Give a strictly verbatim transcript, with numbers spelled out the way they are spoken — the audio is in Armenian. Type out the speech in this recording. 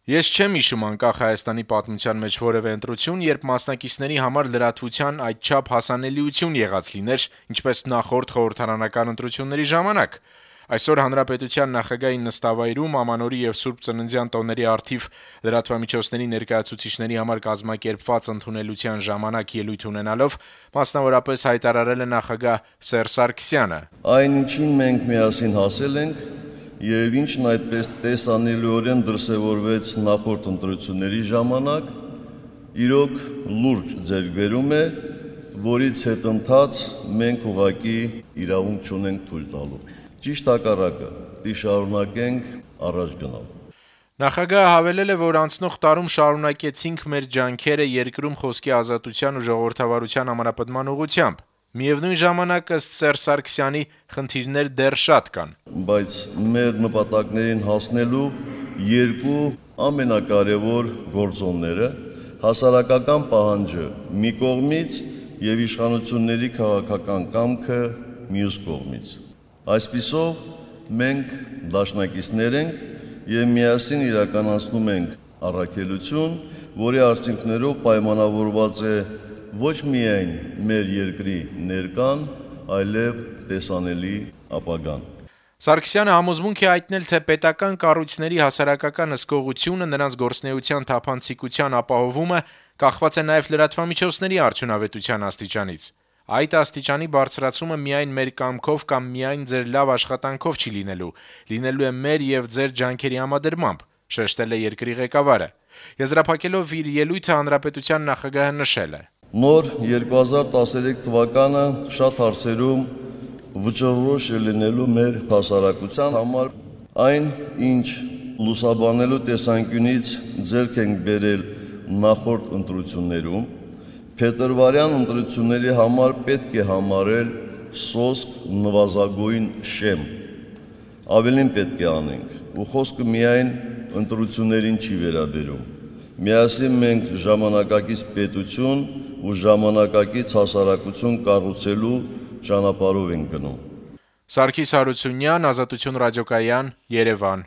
Ես չեմ հիշում անկախ Հայաստանի պատմության մեջ որևէ ընտրություն, երբ մասնակիցների համար լրատվության այդչափ հասանելիություն եղած լիներ, ինչպես նախորդ խորհրդարանական ընտրությունների ժամանակ։ Այսօր Հանրապետության նախագահի նստավայրում Ամանորի եւ Սուրբ Ծննդյան տոների առթիվ լրատվամիջոցների ներկայացուցիչների համար կազմակերպված ընդունելության ժամանակ ելույթ ունենալով մասնավորապես հայտարարել է նախագահ Սերժ Սարգսյանը. Այն ինչին մենք միասին հասել ենք եւ ինչն այդպես տեսանելիորեն դրսեւորվեց նախորդ ընտրությունների ժամանակ, իրոք լուրջ ձեռքբերում է, որից հետընթաց մենք ուղղակի իրավունք չունենք թույլ տալու։ Ճիշտ հակառակը, պիտի շարունակենք առաջ գնալ։ Նախագահը հավելել է, որ անցնող տարում շարունակեցինք մեր ջանքերը երկրում խոսքի ազատության ու ժողովրդավարության ամրապնդման ուղղությամբ։ Միևնույն ժամանակ, ըստ Սերժ Սարգսյանի, խնդիրներ դեռ շատ կան։ Բայց մեր նպատակներին հասնելու երկու ամենակարևոր գործոնները հասարակական պահանջը մի կողմից եւ իշխանությունների քաղաքական կամքը մյուս կողմից։ Այսպիսով մենք դաշնակիցներ ենք եւ միասին իրականացնում ենք առաքելություն, որի արդյունքներով պայմանավորված է ոչ միայն մեր երկրի ներկան, այլև տեսանելի ապագան։ Սարգսյանը համոզմունք է հայտնել, թե պետական կառույցների հասարակական հսկողությունը, նրանց գործունեության թափանցիկության ապահովումը կախված է նաև լրատվամիջոցների արդյունավետության աստիճանից։ Այդ աստիճանի բարձրացումը միայն մեր կամքով կամ միայն ձեր լավ աշխատանքով չի լինելու, լինելու է մեր եւ ձեր ջանքերի համադրմամբ, շեշտել է երկրի ղեկավարը։ Եզրափակելով իր ելույթը Հանրապետության նախագահը նշել է. Նոր երկու հազար տասներեք թվականը շատ հարցերում վճռորոշ է լինելու մեր հասարակության համար, այն ինչ լուսաբանելու տեսանկյունից ձեռք ենք բերել նախորդ ընտրություններում, փետրվարյան ընտրությունների համար պետք է համարել սոսկ նվազագույն շեմ։ Ավելին պետք է անենք, ու խոսքը միայն ընտրություններին չի վերաբերում։ Միասին մենք ժամանակակից պետություն ու ժամանակակից հասարակություն կառուցելու ճանապարհով ենք գնում։ Սարգիս Հարությունյան, Ազատություն ռադիոկայան, Երևան։